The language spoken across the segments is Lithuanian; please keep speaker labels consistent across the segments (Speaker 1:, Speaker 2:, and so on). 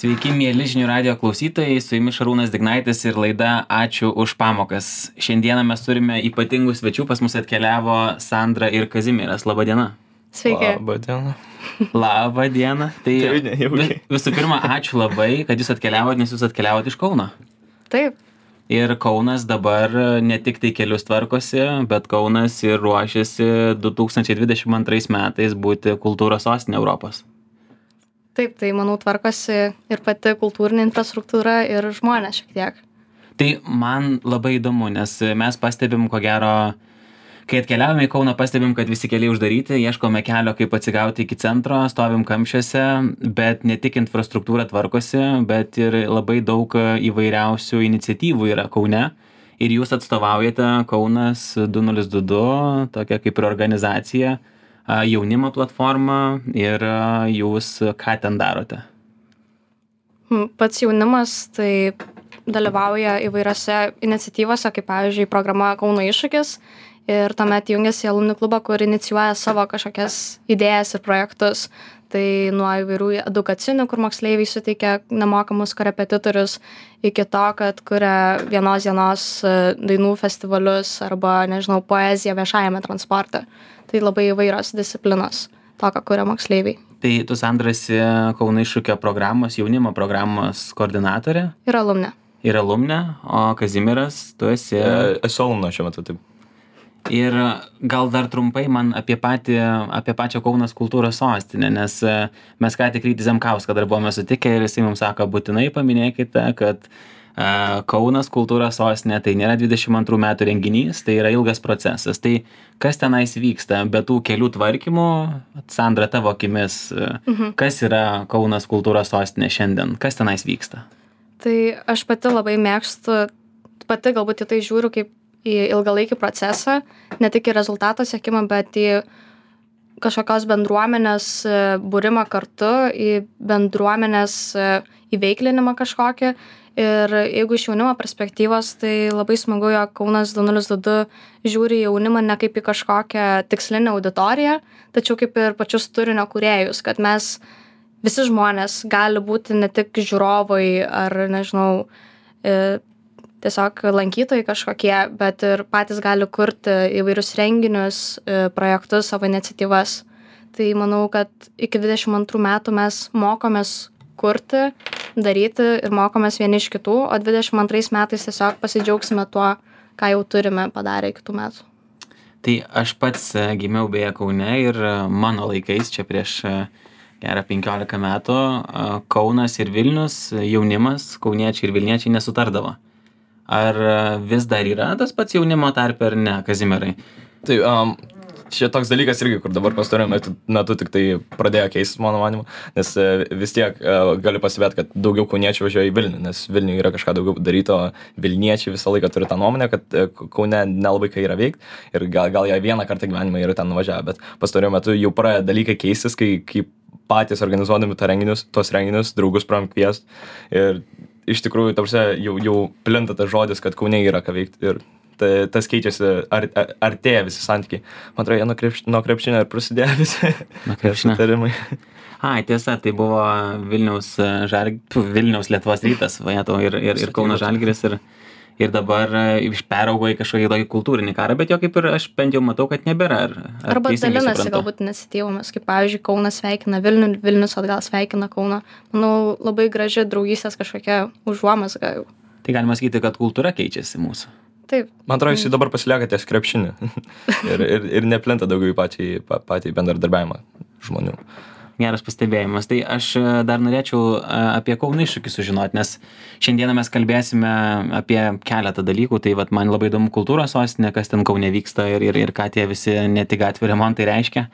Speaker 1: Sveiki, mėly žinių radijo klausytojai, su jumis Šarūnas Dignaitis ir laida Ačiū už pamokas. Šiandieną mes turime ypatingų svečių, pas mus atkeliavo Sandra ir Kazimieras. Labą dieną.
Speaker 2: Sveiki.
Speaker 3: Labą dieną.
Speaker 1: Labą dieną. Tai visų pirma, ačiū labai, kad jūs atkeliavote, nes jūs atkeliavote iš Kauno.
Speaker 2: Taip.
Speaker 1: Ir Kaunas dabar ne tik tai kelius tvarkosi, bet Kaunas ir ruošiasi 2022 metais būti kultūros sostinė Europos.
Speaker 2: Taip, tai manau tvarkosi ir pati kultūrinė infrastruktūra ir žmonės šiek tiek.
Speaker 1: Tai man labai įdomu, nes mes pastebim, ko gero, kai atkeliavome į Kauną, pastebim, kad visi keliai uždaryti, ieškome kelio, kaip atsigauti iki centro, stovim kamščiuose, bet ne tik infrastruktūra tvarkosi, bet ir labai daug įvairiausių iniciatyvų yra Kaune. Ir jūs atstovaujate Kaunas 2022, tokia kaip ir organizacija, jaunimo platforma, ir jūs ką ten darote?
Speaker 2: Pats jaunimas tai dalyvauja įvairiose iniciatyvose, kaip pavyzdžiui programa Kauno iššūkis. Ir tuomet jungiasi į alumni klubą, kur inicijuoja savo kažkokias idėjas ir projektus. Tai nuo įvairių edukacinių, kur moksleiviai suteikia nemokamus korepetitorius, iki to, kad kuria vienos dienos dainų festivalius arba, nežinau, poeziją viešajame transporte. Tai labai įvairios disciplinos, to, ką kuria moksleiviai.
Speaker 1: Tai tu, Sandra, esi Kauno iššūkio programos, jaunimo programos koordinatorė?
Speaker 2: Ir alumne.
Speaker 1: Ir alumne, o Kazimieras, tu esi...
Speaker 3: Esu alumna šiuo metu, taip.
Speaker 1: Ir gal dar trumpai man apie pačią Kaunas kultūros sostinę, nes mes ką tik Rytį Zemkauską dar buvome sutikę ir jisai mums sako, būtinai paminėkite, kad Kaunas kultūros sostinė tai nėra 22 metų renginys, tai yra ilgas procesas. Tai kas tenais vyksta, be tų kelių tvarkymų, Sandra, tavo akimis, kas yra Kaunas kultūros sostinė šiandien, kas tenais vyksta?
Speaker 2: Tai aš pati labai mėgstu, pati galbūt į tai žiūriu kaip į ilgalaikį procesą, ne tik į rezultato siekimą, bet į kažkokios bendruomenės būrimą kartu, į bendruomenės įveiklinimą kažkokį. Ir jeigu iš jaunimo perspektyvos, tai labai smagu, jog Kaunas 2022 žiūri jaunimą ne kaip į kažkokią tikslinę auditoriją, tačiau kaip ir pačius turinio kūrėjus, kad mes visi žmonės gali būti ne tik žiūrovai ar, nežinau, tiesiog lankytojai kažkokie, bet ir patys gali kurti įvairius renginius, projektus, savo iniciatyvas. Tai manau, kad iki 22 metų mes mokomės kurti, daryti ir mokomės vieni iš kitų, o 22 metais tiesiog pasidžiaugsime tuo, ką jau turime padarę iki tų metų.
Speaker 1: Tai aš pats gimiau beje Kaune ir mano laikais, čia prieš gerą 15 metų, Kaunas ir Vilnius, jaunimas, kauniečiai ir vilniečiai nesutardavo. Ar vis dar yra tas pats jaunimo tarpe ar ne, Kazimierai?
Speaker 3: Tai čia toks dalykas irgi, kur dabar pastaruoju metu tik tai pradėjo keistis, mano manimu, nes vis tiek galiu pasibėti, kad daugiau kauniečių važiuoja į Vilnių, nes Vilniuje yra kažką daugiau daryto, vilniečiai visą laiką turi tą nuomonę, kad Kaune nelabai ką yra veikti ir gal jie vieną kartą gyvenime yra ten nuvažiavę, bet pastaruoju metu jau pradėjo dalykai keistis, kai patys organizuodami tuos renginius, draugus pravom kviest ir iš tikrųjų, jau plinta tas žodis, kad Kaune yra ką veikti ir tas keičiasi, artėja visi santykiai. Man atrodo, nuo krepšinio ir prasidėjo visi sutarimai.
Speaker 1: Tiesa, tai buvo Vilniaus Lietuvos Rytas, ir Kauno Žalgiris ir dabar peraugo į kažkokį tokį kultūrinį karą, bet jo kaip ir aš bent jau matau, kad nebėra.
Speaker 2: Arba dalinasi galbūt iniciatyvomis, kaip pavyzdžiui, Kaunas sveikina Vilnių, Vilnius atgal sveikina Kauną. Manau, labai graži draugystės kažkokia užuomazga jau.
Speaker 1: Tai galima sakyti, kad kultūra keičiasi mūsų.
Speaker 2: Taip.
Speaker 3: Man atrodo, jis dabar pasilieka ties krepšinį ir neplinta daugiau į patį bendradarbiavimą žmonių.
Speaker 1: Geras pastebėjimas. Tai aš dar norėčiau apie Kauno iššūkį sužinoti, nes šiandieną mes kalbėsime apie keletą dalykų. Tai vat, man labai įdomu kultūros sostinė, kas ten Kaune vyksta ir ką tie visi ne tik gatvių remontai reiškia.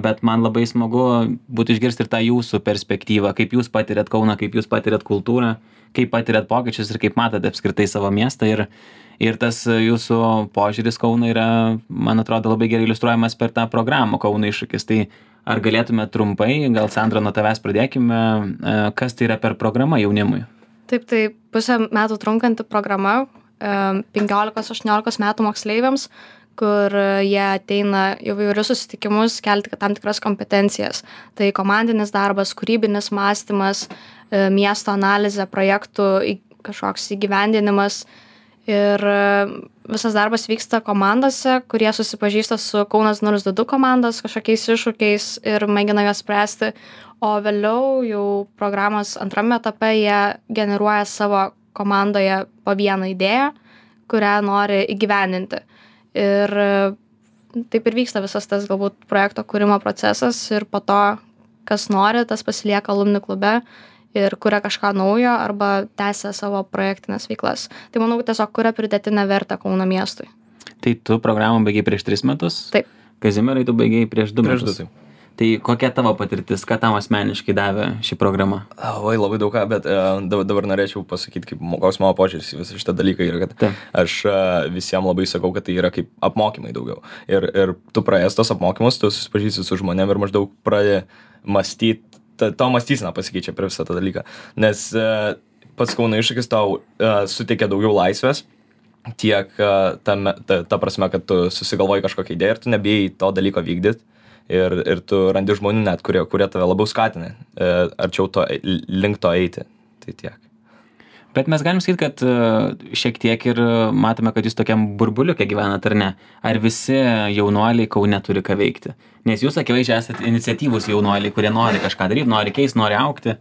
Speaker 1: Bet man labai smagu būtų išgirsti ir tą jūsų perspektyvą, kaip jūs patiriat Kauną, kaip jūs patiriat kultūrą, kaip patiriat pokyčius ir kaip matote apskritai savo miestą. Ir tas jūsų požiūris Kauno yra, man atrodo, labai gerai iliustruojamas per tą programą Kauno iššūkis. Tai ar galėtume trumpai, gal Sandra nuo tavęs pradėkime, kas tai yra per programa jaunimui?
Speaker 2: Taip, tai pusę metų trunkanti programa 15-18 metų moksleiviams, kur jie ateina įvairius susitikimus kelti tam tikras kompetencijas. Tai komandinis darbas, kūrybinis mąstymas, miesto analizė, projektų kažkoks įgyvendinimas. Ir visas darbas vyksta komandose, kurie susipažįsta su Kaunas 022 komandos kažkokiais iššūkiais ir mėgina juos spręsti. O vėliau jau programos antrame etape jie generuoja savo komandoje po vieną idėją, kurią nori įgyvendinti. Ir taip ir vyksta visas tas galbūt projekto kūrimo procesas ir po to, kas nori, tas pasilieka alumni klube ir kuria kažką naujo arba tęsia savo projektinės veiklas. Tai manau, tiesiog kuria pridėtinę vertę Kauno miestui.
Speaker 1: Tai tu programą baigiai prieš 3 metus?
Speaker 2: Taip.
Speaker 1: Kazimierai, tu baigiai prieš 2 metus?
Speaker 3: Taip.
Speaker 1: Tai kokia tavo patirtis, ką tam asmeniškai davė ši programa?
Speaker 3: Oi, labai daug ką, bet dabar norėčiau pasakyti, koks mano požiūris į visą šitą dalyką yra, kad aš visiems labai sakau, kad tai yra kaip apmokymai daugiau. Ir tu praėjęs tos apmokymus, tu susipažįsi su žmonėm ir maždaug pradedi mąstyti, tavo mąstysena pasikeičia per visą tą dalyką. Nes pats Kauno iššūkis tau suteikia daugiau laisvės, tiek ta prasme, kad tu susigalvoji kažkokią idėją ir tu nebijai to dalyko vykdyti. Ir tu randi žmonių net, kurie tave labiau skatina, arčiau link to eiti. Tai tiek.
Speaker 1: Bet mes galim sakyti, kad šiek tiek ir matome, kad jūs tokiam burbuliuke gyvenat, ar ne? Ar visi jaunuoliai Kaune turi ką veikti? Nes jūs akivaizdžiai esate iniciatyvūs jaunuoliai, kurie nori kažką daryti, nori keisti, nori augti.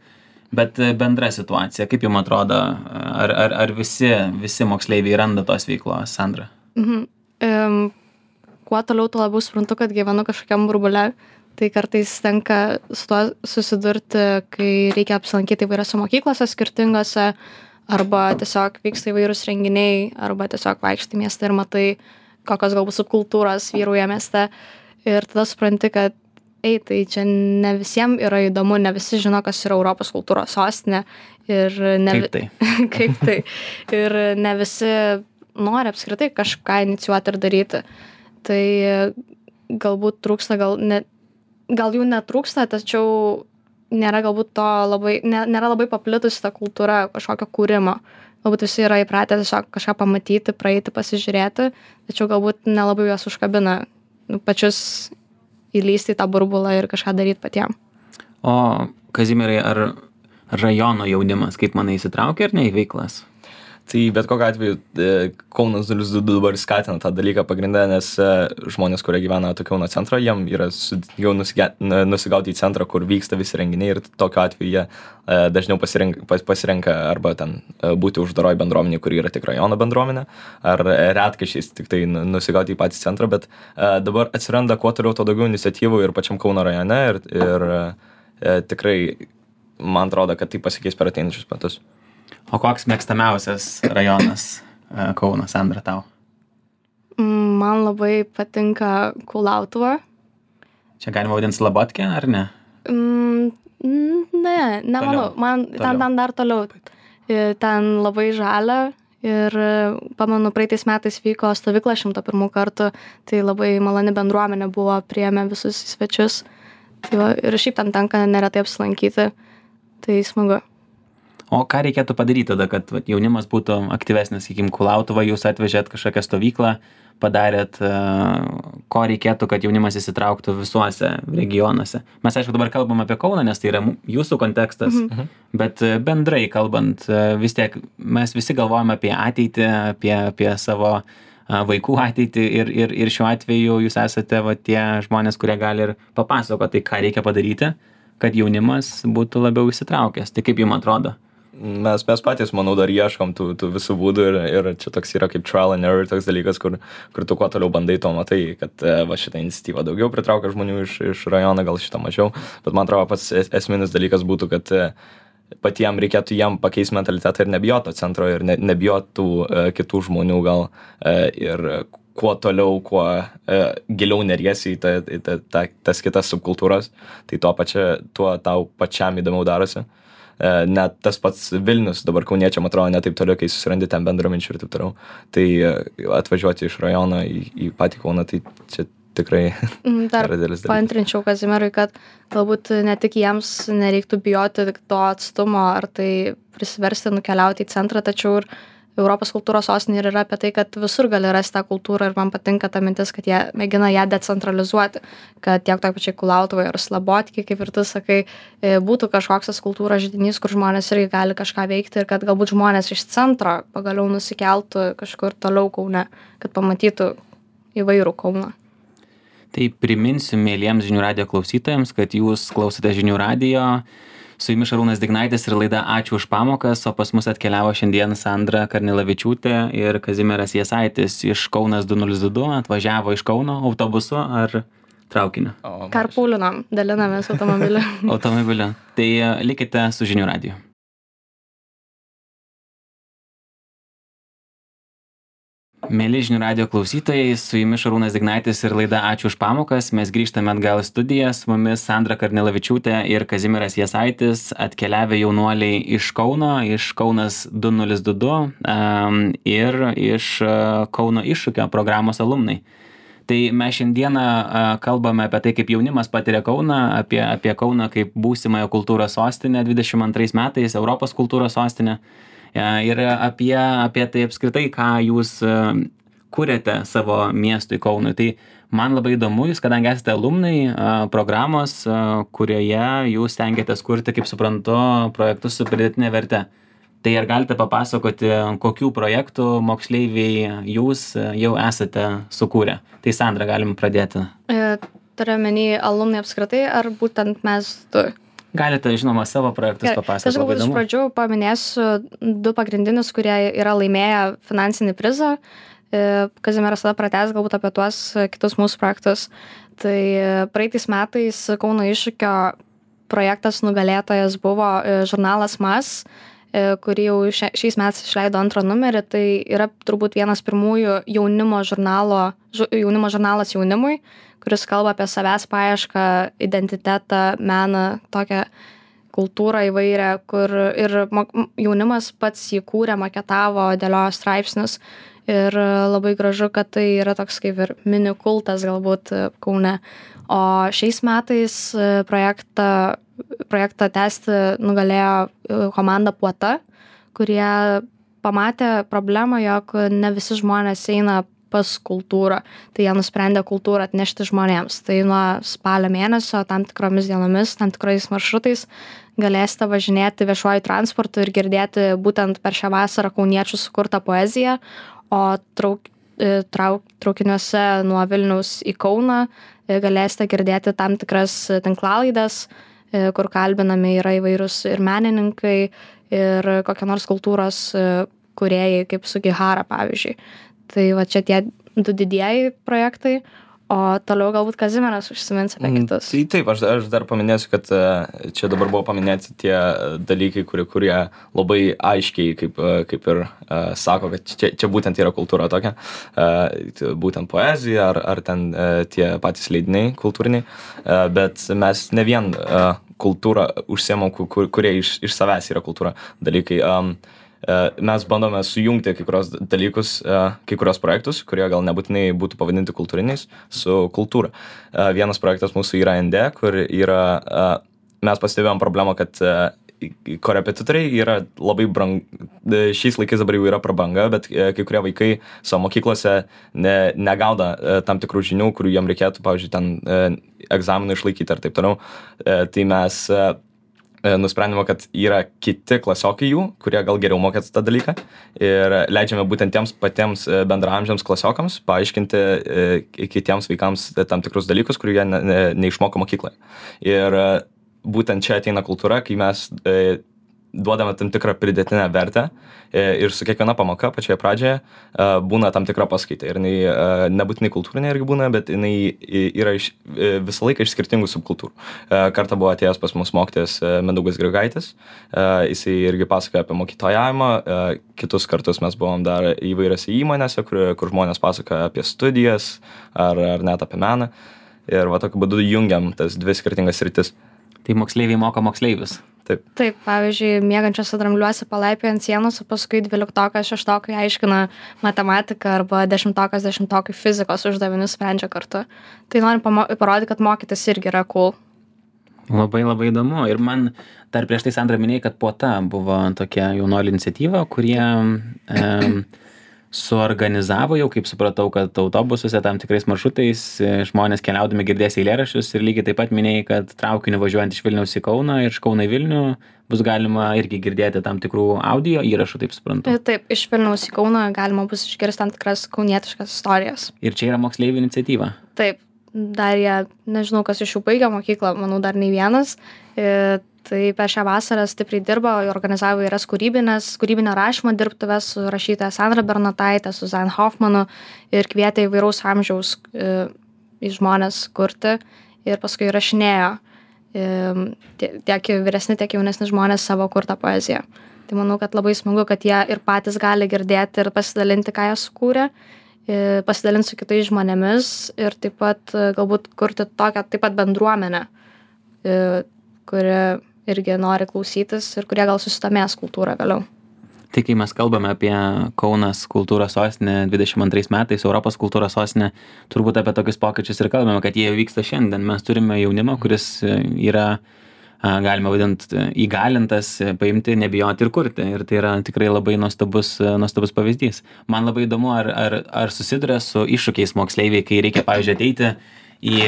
Speaker 1: Bet bendra situacija, kaip jums atrodo, ar visi moksleiviai randa tos veiklos, Sandra?
Speaker 2: Kuo toliau, tuo labiau suprantu, kad gyvenu kažkokiam burbule. Tai kartais tenka su tuo susidurti, kai reikia apsilankyti įvairiose mokyklose skirtingose, arba tiesiog vyksta įvairūs renginiai, arba tiesiog vaikštai miestą ir matai, kokios galbūt subkultūros vyrauja mieste. Ir tada supranti, kad tai čia ne visiems yra įdomu, ne visi žino, kas yra Europos kultūros sostinė. Ir
Speaker 1: Kaip tai?
Speaker 2: Kaip tai. Ir ne visi nori apskritai kažką inicijuoti ir daryti. Tai galbūt trūksta, gal jų netrūksta, tačiau nėra galbūt to nėra labai paplitusi ta kultūra kažkokio kūrimo. Galbūt visi yra įpratę tiesiog kažką pamatyti, praeiti, pasižiūrėti, tačiau galbūt nelabai juos užkabina pačius įlysti į tą burbulą ir kažką daryti patiem.
Speaker 1: O Kazimierai, ar rajono jaunimas, kaip manai, įsitraukia ar ne į veiklas?
Speaker 3: Tai bet kokiu atveju Kaunas 022 dabar skatina tą dalyką pagrindę, nes žmonės, kurie gyvena Kauno centro, jiem yra jau nusigauti į centrą, kur vyksta visi renginiai ir tokiu atveju jie dažniau pasirenka arba ten būti uždaroj bendruomenė, kuri yra tik rajono bendruomenė, ar retkarčiais tik tai nusigauti į patį centrą, bet dabar atsiranda kuo toliau to daugiau iniciatyvų ir pačiam Kauno rajone ir tikrai man atrodo, kad tai pasikeis per ateinančius metus.
Speaker 1: O koks mėgstamiausias rajonas Kauno, Sandra, tau?
Speaker 2: Man labai patinka Kulautuva.
Speaker 1: Čia galima vadinti Slabotkę, ar ne?
Speaker 2: Nemanau. Man ten dar toliau. Ten labai žalia ir pamenu, praeitais metais vyko stovykla 101 kartų, tai labai maloni bendruomenė buvo, priėmė visus į svečius. Tai va, ir šiaip ten tenka neretai apsilankyti, tai smagu.
Speaker 1: O ką reikėtų padaryti tada, kad jaunimas būtų aktyvesnis, sakykim, Kulautuvą, jūs atvežėt kažkokią stovyklą, padarėt, ko reikėtų, kad jaunimas įsitrauktų visuose regionuose. Mes, aišku, dabar kalbam apie Kauną, nes tai yra jūsų kontekstas, bet bendrai kalbant, vis tiek mes visi galvojame apie ateitį, apie savo vaikų ateitį ir šiuo atveju jūs esate tie žmonės, kurie gali ir papasakoti, ką reikia padaryti, kad jaunimas būtų labiau įsitraukęs. Tai kaip jums atrodo?
Speaker 3: Mes patys, manau, dar ieškom tų visų būdų ir čia toks yra kaip trial and error, toks dalykas, kur tu kuo toliau bandai, to matai, kad va šitą iniciatyvą daugiau pritraukia žmonių iš rajono, gal šitą mažiau, bet man atrodo pats esminis dalykas būtų, kad patiem reikėtų jiem pakeisti mentalitetą ir nebijot to centro ir nebijot tų kitų žmonių gal ir kuo toliau, kuo giliau neriesi į tas kitas subkultūras, tai tuo tau pačiam įdomiau darosi. Net tas pats Vilnius dabar kauniečiam atrodo ne taip toliau, kai susirandi ten bendraminčių ir taip toliau. Tai atvažiuoti iš rajono į patį Kauną, tai čia tikrai
Speaker 2: dar paantrinčiau Kazimierui, kad galbūt ne tik jiems nereiktų bijoti to atstumo ar tai prisiversti nukeliauti į centrą, tačiau ir Europos kultūros sostinė ir yra apie tai, kad visur gali rasti tą kultūrą ir man patinka ta mintis, kad jie mėgina ją decentralizuoti, kad tiek toj pačiai Kulautuvai ir Slabotkai, kaip ir tu sakai, būtų kažkoks tas kultūros židinys, kur žmonės irgi gali kažką veikti ir kad galbūt žmonės iš centro pagaliau nusikeltų kažkur toliau Kaune, kad pamatytų įvairų Kauną.
Speaker 1: Tai priminsiu mėlyjams žinių radijo klausytojams, kad jūs klausote žinių radijo. Su jumis Šarūnas Dignaitis ir laida Ačiū už pamokas, o pas mus atkeliavo šiandien Sandra Karnilavičiūtė ir Kazimieras Jasaitis iš Kaunas 2022, atvažiavo iš Kauno autobusu ar traukiniu?
Speaker 2: Karpūlinom, dalinamės automobiliu.
Speaker 1: Automobiliu. Tai likite su žinių radiju. Mėly žinių radijo klausytojai, su jumis Šarūnas Dignaitis ir laida Ačiū už pamokas. Mes grįžtame atgal į studiją, su mumis Sandra Karnilavičiūtė ir Kazimieras Jasaitis, atkeliavę jaunuoliai iš Kauno, iš Kaunas 2022 ir iš Kauno iššūkio programos alumnai. Tai mes šiandieną kalbame apie tai, kaip jaunimas patiria Kauną, apie Kauną kaip būsimąją kultūros sostinę 22 metais, Europos kultūros sostinę. Ir apie tai apskritai, ką jūs kuriate savo miestui Kaunui. Tai man labai įdomu, jūs kadangi esate alumnai programos, kurioje jūs stengiatės kurti, kaip suprantu, projektus su pridėtinė verte. Tai ar galite papasakoti, kokių projektų moksleiviai jūs jau esate sukūrę? Tai Sandra, galim pradėti.
Speaker 2: Turiu menį alumnai apskritai, ar būtent mes du?
Speaker 1: Galite, žinoma, savo projektus papasakoti.
Speaker 2: Aš galbūt iš pradžių paminėsiu du pagrindinius, kurie yra laimėję finansinį prizą. Kazimieras tada pratęs galbūt apie tuos kitus mūsų projektus. Tai praeitais metais Kauno iššūkio projektas nugalėtojas buvo žurnalas MAS, kurį jau šiais metais išleido antrą numerį. Tai yra turbūt vienas pirmųjų jaunimo žurnalas jaunimui, kuris kalba apie savęs paiešką, identitetą, meną, tokią kultūrą įvairią, kur ir jaunimas pats jį kūrė, maketavo, dėliojo straipsnius. Ir labai gražu, kad tai yra toks kaip ir mini kultas galbūt Kaune. O šiais metais projektą tęsti nugalėjo komanda Puota, kurie pamatė problemą, jog ne visi žmonės eina pas kultūrą. Tai jie nusprendė kultūrą atnešti žmonėms. Tai nuo spalio mėnesio tam tikromis dienomis, tam tikrais maršrutais galėsite važinėti viešuoju transportu ir girdėti būtent per šią vasarą kauniečių sukurtą poeziją, o traukiniuose nuo Vilniaus į Kauną galėsite girdėti tam tikras tinklalaides, kur kalbinami yra įvairūs ir menininkai, ir kokie nors kultūros kūrėjai, kaip Sugihara, pavyzdžiui. Tai va čia tie du didieji projektai, o toliau galbūt Kazimieras užsimins apie kitus.
Speaker 3: Tai taip, aš dar paminėsiu, kad čia dabar buvo paminėti tie dalykai, kurie labai aiškiai, kaip ir sako, kad čia būtent yra kultūra tokia, būtent poezija ar ten tie patys leidiniai kultūriniai, bet mes ne vien kultūrą užsiemam, kurie iš savęs yra kultūra dalykai. Mes bandome sujungti kai kurios dalykus, kai kurios projektus, kurie gal nebūtinai būtų pavadinti kultūriniais, su kultūra. Vienas projektas mūsų yra ND, kur yra, mes pastebėjom problemą, kad korepetitoriai yra labai šiais laikais dabar jau yra prabanga, bet kai kurie vaikai savo mokyklose negauda tam tikrų žinių, kurių jiem reikėtų, pavyzdžiui, ten egzaminų išlaikyti ar taip toliau. Tai mes nusprendėme, kad yra kiti klasiokai jų, kurie gal geriau mokėtų tą dalyką ir leidžiame būtent tiems patiems bendraamžiams klasiokams paaiškinti kitiems vaikams tam tikrus dalykus, kurių jie neišmoko mokykloje. Ir būtent čia ateina kultūra, kai mes duodame tam tikrą pridėtinę vertę ir su kiekviena pamoka pačioje pradžioje būna tam tikra paskaita. Ir jinai nebūtinai kultūrinė irgi būna, bet jinai yra visą laiką iš skirtingų subkultūrų. Kartą buvo atėjęs pas mus mokytojas Mindaugas Grigaitis, jisai irgi pasakoja apie mokytojavimą, kitus kartus mes buvom dar įvairiose įmonėse, kur žmonės pasakoja apie studijas ar net apie meną. Ir va tokiu būdu jungiam tas dvi skirtingas sritis.
Speaker 1: Tai moksleiviai moko moksleivius.
Speaker 2: Taip, pavyzdžiui, miegančiose drambliuose palaipioja ant sienos, o paskui 12-okai, 6-okai aiškina matematiką arba 10-okas, 10-okai fizikos uždavinius sprendžia kartu. Tai norim parodyti, kad mokytis irgi yra cool.
Speaker 1: Labai labai įdomu. Ir man dar prieš tai Sandra minėjai, kad Puota buvo tokia jaunuolių iniciatyva, kurie suorganizavo jau, kaip supratau, kad autobusuose tam tikrais maršrutais žmonės keliaudami girdės eilėraščius ir lygiai taip pat minėjai, kad traukiniu važiuojant iš Vilniaus į Kauną ir iš Kauno į Vilnių bus galima irgi girdėti tam tikrų audio įrašų, taip suprantu.
Speaker 2: Taip, iš Vilniaus į Kauną galima bus išgirsti tam tikras kaunietiškas istorijas.
Speaker 1: Ir čia yra moksleivių iniciatyva.
Speaker 2: Taip, dar jie, nežinau, kas iš jų baigia mokyklą, manau, dar nei vienas. Tai per šią vasarą stipriai dirbo, organizavo įvairias kūrybinio rašymo dirbtuves su rašytoja Sandra Bernotaitė, su Zane Hoffmanu ir kvietė įvairaus amžiaus žmonės kurti ir paskui rašinėjo tiek vyresni, tiek jaunesni žmonės savo kurtą poeziją. Tai manau, kad labai smagu, kad jie ir patys gali girdėti ir pasidalinti, ką jie sukūrė, pasidalinti su kitais žmonėmis ir taip pat galbūt kurti tokią taip pat bendruomenę, kuri irgi nori klausytis ir kurie gal susidomės kultūrą vėliau.
Speaker 1: Tai kai mes kalbame apie Kaunas kultūros sostinę 22 metais, Europos kultūros sostinę, turbūt apie tokius pokyčius ir kalbame, kad jie vyksta šiandien. Mes turime jaunimą, kuris yra, galima vadinti, įgalintas paimti, nebijoti ir kurti. Ir tai yra tikrai labai nuostabus pavyzdys. Man labai įdomu, ar susiduria su iššūkiais moksleiviai, kai reikia, pavyzdžiui, ateiti į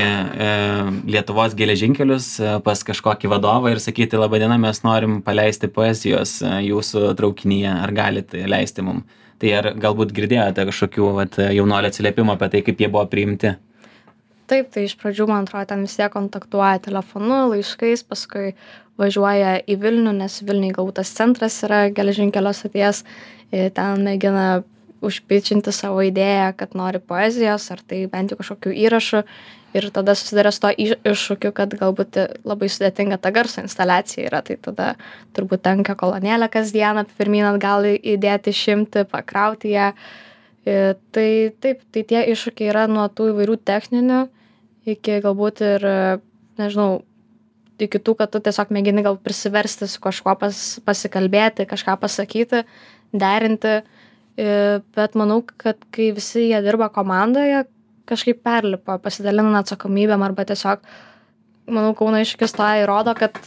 Speaker 1: Lietuvos geležinkelius pas kažkokį vadovą ir sakyti, laba diena, mes norim paleisti poezijos jūsų traukinyje, ar galite leisti mum. Tai ar galbūt girdėjote kažkokių jaunuolių atsiliepimų apie tai, kaip jie buvo priimti?
Speaker 2: Taip, tai iš pradžių, man atrodo, ten vis tiek kontaktuoja telefonu, laiškais, paskui važiuoja į Vilnių, nes Vilniui galbūt tas centras yra geležinkelio stoties, ten mėgina užpičinti savo idėją, kad nori poezijos, ar tai bent jau kažkokių įrašų. Ir tada susidarė su to iššūkiu, kad galbūt labai sudėtinga ta garso instaliacija yra, tai tada turbūt tenka kolonėlę kasdieną pirmyn atgal įdėti, išimti, pakrauti ją. Tai taip, tai tie iššūkiai yra nuo tų įvairių techninių iki galbūt ir, nežinau, iki tų, kad tu tiesiog mėgini gal prisiversti su kažkuo pasikalbėti, kažką pasakyti, derinti. Bet manau, kad kai visi jie dirba komandoje, kažkaip perlipa, pasidalina atsakomybėm arba tiesiog, manau, Kauno iššūkis to įrodo, kad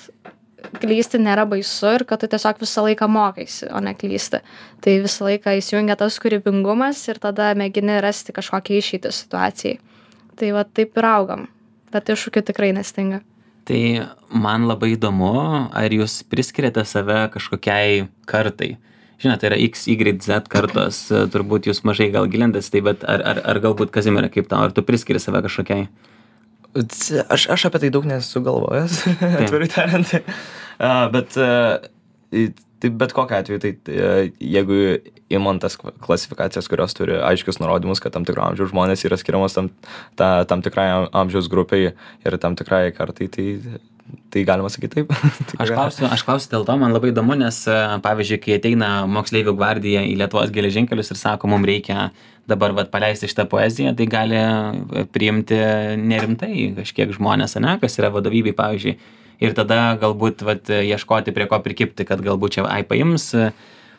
Speaker 2: klysti nėra baisu ir kad tu tiesiog visą laiką mokaisi, o ne klysti. Tai visą laiką įsijungia tas kūrybingumas ir tada mėgini rasti kažkokią išeitį situacijai. Tai va taip ir augam, bet iššūkių tikrai nestinga.
Speaker 1: Tai man labai įdomu, ar jūs priskiriate save kažkokiai kartai? Žinote, tai yra X, Y, Z kartos, turbūt jūs mažai gal gilintas, tai bet ar galbūt Kazimierai kaip tau, ar tu priskiri save kažkokiai?
Speaker 3: Aš apie tai daug nesu galvojęs, atvirai tariant. Bet kokiu atveju, tai jeigu imant tas klasifikacijas, kurios turi aiškius nurodymus, kad tam tikro amžiaus žmonės yra skiriamas tam tikrai amžiaus grupiai ir tam tikrai kartai, tai galima sakyti taip.
Speaker 1: Aš klausiu dėl to, man labai įdomu, nes pavyzdžiui, kai ateina moksleivių gvardija į Lietuvos geležinkelius ir sako, mums reikia dabar paleisti šitą poeziją, tai gali priimti nerimtai kažkiek žmonės, kas yra vadovybei, pavyzdžiui. Ir tada galbūt ieškoti prie ko prikipti, kad galbūt čia paims.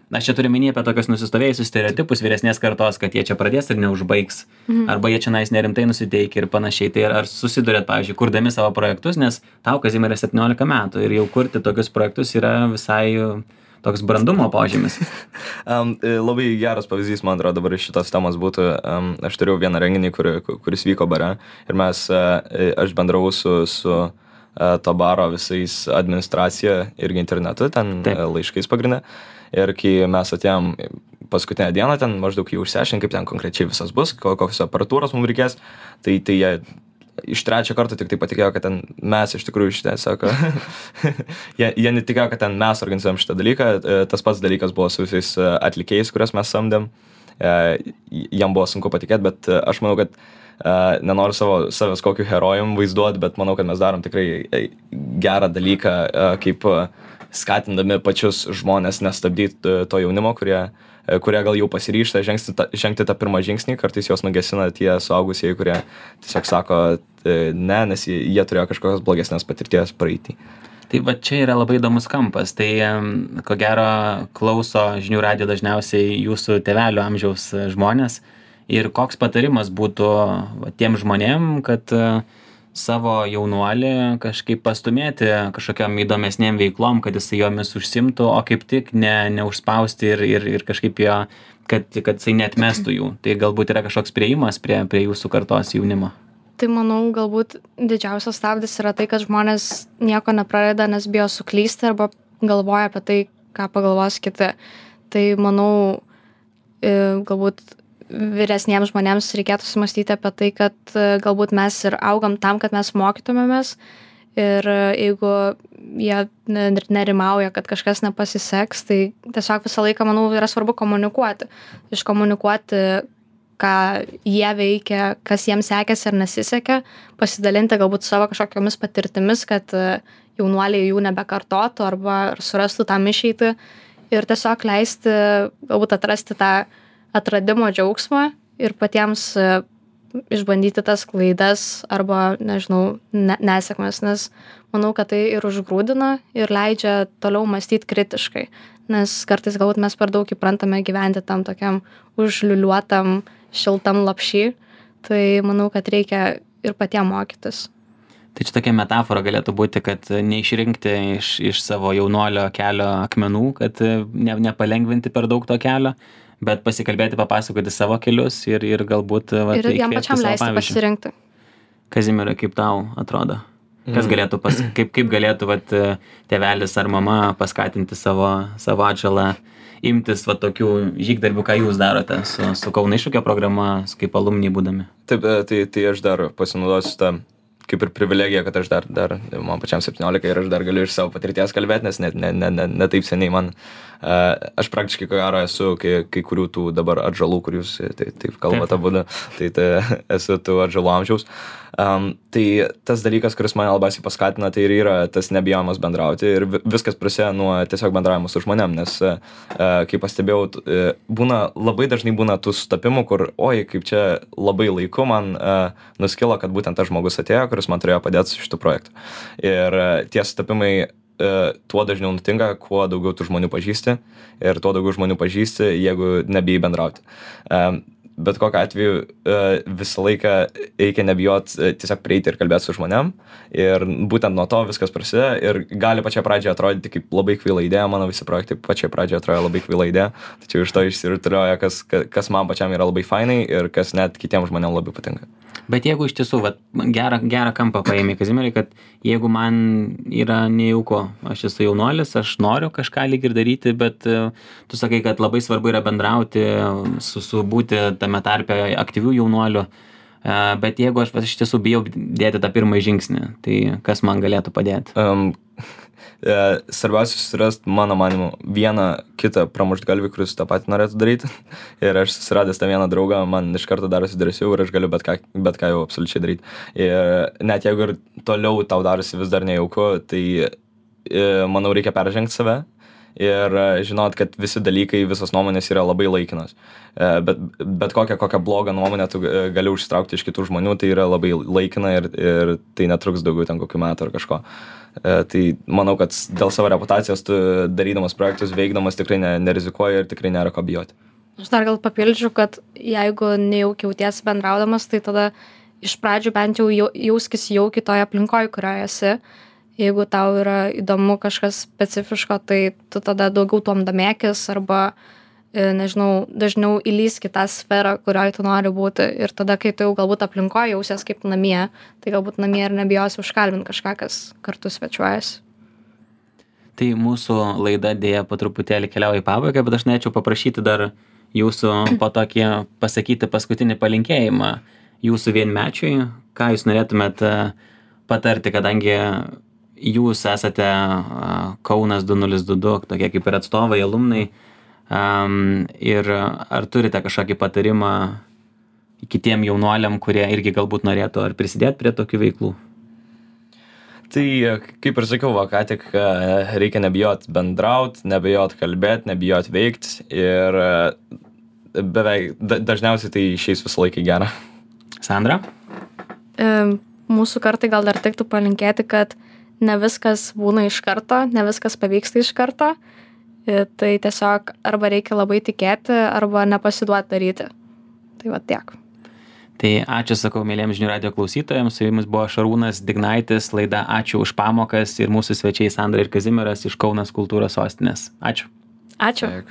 Speaker 1: Aš čia turiu minėti apie tokius nusistovėjusius stereotipus vyresnės kartos, kad jie čia pradės ir neužbaigs, arba jie čia nerimtai nusiteikia ir panašiai. Tai ar susidurėt, pavyzdžiui, kurdami savo projektus, nes tau, Kazimierai, 17 metų ir jau kurti tokius projektus yra visai toks brandumo požymis.
Speaker 3: Labai geras pavyzdys, man atrodo, dabar iš šitos temos būtų. Aš turėjau vieną renginį, kuris vyko bare ir aš bendravau su to baro visais administracija irgi internetu, ten laiškais pagrinde. Ir kai mes atėjom paskutinę dieną, ten maždaug jau išsiaiškinti, kaip ten konkrečiai visas bus, kokios aparatūros mums reikės, tai jie iš trečio karto tik tai patikėjo, kad ten mes iš tikrųjų šitą sako. jie netikėjo, kad ten mes organizuojam šitą dalyką. Tas pats dalykas buvo su visais atlikėjais, kuriuos mes samdėm. Jam buvo sunku patikėti, bet aš manau, kad nenoriu savęs kokiu herojum vaizduoti, bet manau, kad mes darom tikrai gerą dalyką, kaip skatindami pačius žmonės nestabdyti to jaunimo, kurie gal jau pasiryžta žengti tą pirmą žingsnį, kartais juos nugesina tie suaugusieji, kurie tiesiog sako ne, nes jie turėjo kažkokios blogesnės patirties praeitį.
Speaker 1: Tai va čia yra labai įdomus kampas. Tai ko gero klauso žinių radijo dažniausiai jūsų tėvelių amžiaus žmonės. Ir koks patarimas būtų tiem žmonėm, kad savo jaunuolį kažkaip pastumėti kažkokiom įdomesnėm veiklom, kad jisai jomis užsimtų, o kaip tik neužspausti ir kažkaip jo, kad jisai neatmestų jų. Tai galbūt yra kažkoks priėjimas prie jūsų kartos jaunimo.
Speaker 2: Tai manau, galbūt didžiausias stabdis yra tai, kad žmonės nieko nepradeda, nes bijo suklysti arba galvoja apie tai, ką pagalvos kiti. Tai manau, galbūt vyresniems žmonėms reikėtų sumastyti apie tai, kad galbūt mes ir augam tam, kad mes mokytumėmės ir jeigu jie nerimauja, kad kažkas nepasiseks, tai tiesiog visą laiką, manau, yra svarbu komunikuoti. Iškomunikuoti, ką jie veikia, kas jiems sekėsi ar nesisekė, pasidalinti galbūt savo kažkokiamis patirtimis, kad jaunuoliai jų nebekartotų arba surastų tam išeitį ir tiesiog leisti, galbūt atrasti tą atradimo džiaugsmą ir patiems išbandyti tas klaidas arba, nežinau, nesėkmes, nes manau, kad tai ir užgrūdina ir leidžia toliau mąstyti kritiškai, nes kartais galbūt mes per daug įprantame gyventi tam tokiam užliuliuotam, šiltam lopšy, tai manau, kad reikia ir patiem mokytis.
Speaker 1: Tai čia tokia metafora galėtų būti, kad neišrinkti iš savo jaunuolio kelio akmenų, kad nepalengvinti per daug to kelio, bet pasikalbėti, papasakoti savo kelius ir galbūt
Speaker 2: ir jam pačiam leisti pasirinkti.
Speaker 1: Kazimierai, kaip tau atrodo? Kas galėtų, kaip galėtų tėvelis ar mama paskatinti savo atžalą imtis tokių žygdarbių, ką jūs darote su Kauno iššūkio programa, kaip alumni būdami?
Speaker 3: Taip, tai aš dar pasinaudosiu tą kaip ir privilegija, kad aš dar man pačiam 17 ir aš dar galiu iš savo patirties kalbėti, nes ne taip seniai man, aš praktiškai ko gero esu kai kurių tų dabar atžalų, kur jūs taip kalbate abudu, tai esu tų atžalų amžiaus. Tai tas dalykas, kuris mane labiausiai paskatina, tai ir yra tas nebijojimas bendrauti ir viskas prasideda nuo tiesiog bendravimo su žmonėm, nes kaip pastebėjau, labai dažnai būna tų sutapimų, kur, oi, kaip čia labai laiku man nuskilo, kad būtent tas žmogus atėjo, kuris man turėjo padėti su šitų projektų. Ir tie sutapimai tuo dažniau nutinka, kuo daugiau tų žmonių pažįsti ir tuo daugiau žmonių pažįsti, jeigu nebijai bendrauti. Bet kokiu atveju visą laiką reikia nebijot tiesiog prieiti ir kalbėti su žmonėm ir būtent nuo to viskas prasideda ir gali pačią pradžią atrodyti kaip labai kvaila idėja, mano visi projektai pačią pradžią atrodo labai kvaila idėja, tačiau iš to išsirutulioja, kas man pačiam yra labai fainai ir kas net kitiems žmonėm labai patinka.
Speaker 1: Bet jeigu iš tiesų, gerą kampą paėmė Kazimierai, kad jeigu man yra nejauku, aš esu jaunuolis, aš noriu kažką lyg ir daryti, bet tu sakai, kad labai svarbu yra bendrauti, būti tame tarpe aktyvių jaunuolių, bet jeigu aš iš tiesų bijau dėti tą pirmąjį žingsnį, tai kas man galėtų padėti?
Speaker 3: Svarbiausia susirasti, mano manimu, vieną kitą pramuštgalvį, kuris tą patį norėtų daryti. Ir aš susiradęs tą vieną draugą, man iš karto darosi drąsiau ir aš galiu bet ką jau absoliučiai daryti. Ir net jeigu ir toliau tau darosi vis dar nejauku, tai manau reikia peržengti save ir žinot, kad visi dalykai, visos nuomonės yra labai laikinos. Bet kokią blogą nuomonę tu gali užsitraukti iš kitų žmonių, tai yra labai laikina ir tai netruks daugiau ten kokių metų ar kažko. Tai manau, kad dėl savo reputacijos tu darydamas projektus, veikdamas tikrai nerizikuoji ir tikrai nėra ko bijoti.
Speaker 2: Aš dar gal papildžiu, kad jeigu nejaukiai jautiesi bendraudamas, tai tada iš pradžių bent jau jauskis jaukiai toje aplinkoje, kurioje esi. Jeigu tau yra įdomu kažkas specifiško, tai tu tada daugiau tuom domėkis arba, nežinau, dažniau įlįsk į tą sferą, kurioje tu nori būti. Ir tada, kai tu jau galbūt aplinkoje jausies kaip namie, tai galbūt namie ir nebijosi užkalbinti kažką, kas kartu svečiuojasi.
Speaker 1: Tai mūsų laida dėja po truputėlį keliauja į pabaigą, bet aš norėčiau paprašyti dar jūsų po tokį pasakyti paskutinį palinkėjimą jūsų vienmečiui. Ką jūs norėtumėt patarti, kadangi jūs esate Kaunas 2022, tokie kaip ir atstovai, alumnai, ir ar turite kažkokį patarimą kitiem jaunuoliam, kurie irgi galbūt norėtų ar prisidėti prie tokių veiklų?
Speaker 3: Tai, kaip ir sakiau, ką tik reikia nebijot bendraut, nebijot kalbėt, nebijot veikt ir beveik dažniausiai tai išeis visą laiką gerą.
Speaker 1: Sandra?
Speaker 2: Mūsų kartai gal dar tiktų palinkėti, kad ne viskas būna iš karto, ne viskas pavyksta iš karto. Tai tiesiog arba reikia labai tikėti, arba nepasiduoti daryti. Tai va tiek.
Speaker 1: Tai ačiū, sakau, mėlyjams žinių radijo klausytojams, su jumis buvo Šarūnas Dignaitis, laida Ačiū už pamokas ir mūsų svečiai Sandra ir Kazimieras iš Kaunas kultūros sostinės. Ačiū.
Speaker 2: Ačiū.
Speaker 3: Dėkui.